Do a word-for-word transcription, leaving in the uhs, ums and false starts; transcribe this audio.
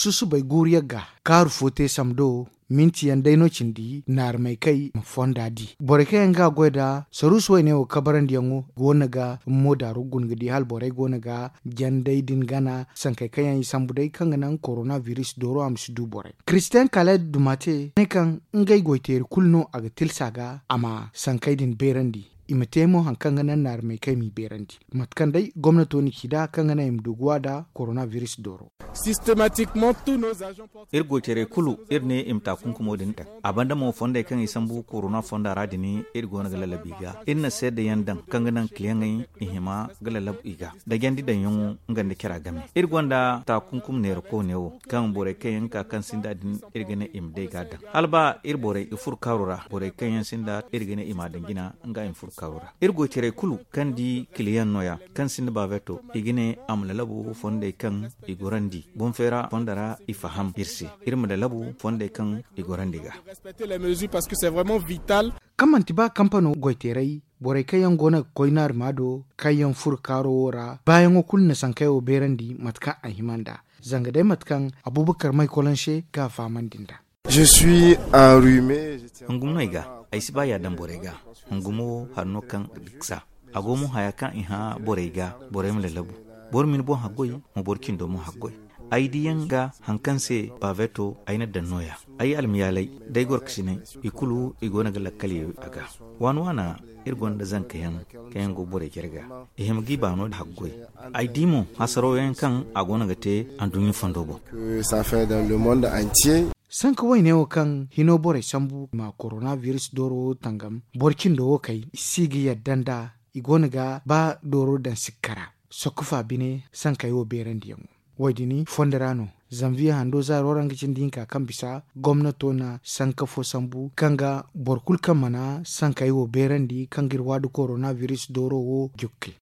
Susubay guuru yagga kaaru fo te samdo minti yaŋ day no cindi naarmey kay ma fonda di borey kaŋ yaŋ ga a goy nda saruusu wayne wo kabarandiyaŋo go no ga mo daaru guna ga di hala borey go no ga janday din gana sankey kaŋ yaŋ i sambu day kaŋ ga naŋ korona biris dooro a ma si du borey kiristiyaŋ kala dumate ne kaŋ ngey goyteeri kulu no a ga tilsa ga a ma sankey din beerandi. I ma te mo hari kaŋ ga naŋ naarmey kaŋ i m'i beerandi mate kaŋ day gomnato na ci nd'a kaŋ ga naŋ i ma du ga wa nda korona biris dooro. Iri goytaray kulu iri ne i ma taakunkumo din daŋ. A banda mo fondey kaŋ i sambu korona fonda ra din iri go no ga lallabu i ga. Iri na seedayaŋ daŋ kaŋ ga naŋ kiliyaŋey i hima ga lallabu i ga da jandi daŋyaŋo nga nda cara game. Iri gonda taakunkum neera koone wo kaŋ borey kaŋ yaŋ ga ka kaŋ sinda din iri ga ne i ma day ga a daŋ hala ba iri borey i furo kaaro ra borey kaŋ yaŋ sinda iri ga ne i m'a daŋ jina nga i ma furo kaaro ra. Iri goytaray kulu kaŋ di kiliyaŋ nooya kaŋ sinda baabeeto i ga ne a ma lalabu fondey kaŋ i gorandi boŋ feera fonda ra i faham iri se. Iri ma lalabu fondey kaŋ i gorandi ga. Kaŋ manti ba kampano goyteeray borey kaŋ yaŋ go no ga koy naarima do kaŋ yaŋ furo kaaro wo ra baayaŋo kulu na sankey wo beerandi mate kaŋ a hima nd'a zanga day mate kaŋ abubakar may kolonse ga a fahamandi nd'a. Hungum no ay ga. Ay si ba ya daŋ borey ga. Hungum wo hari no kaŋ ga diksa a go mo haya kaŋ i hã borey ga borey ma lalabu. Boro ma ni boŋ haggoy ma boro cindo mo haggoy. Ay diyaŋ ga hari kaŋ se baaveto ay na daŋ nooya. Ay almayaalay da ay gorkasiney i kulu i go no ga lakkal ye a ga. Waana waana iri gonda zanka yaŋ kaŋ yaŋ go borey care ga i hima g'i baano haggoy. Ay di mo hasaraw yaŋ kaŋ a go no ga te anduɲɲa fondo boŋ. Sanka wayne wo kaŋ hino borey sambu ma korona biris dooro wo tangam boro cindo wo kay i si ga yadda nd'a. I go no ga ba dooro daŋ sikka ra sokko fa bine sankey wo beerandiyaŋo. Wo- din fondo ra no zanviye hando zaaro ra nga cindi hinka kaŋ bisa gomnato na sanka fo sambu kaŋ ga boro kulu kaŋ mana sankey wo beerandi kaŋ ga iri waadu korona biris dooro wo jukke.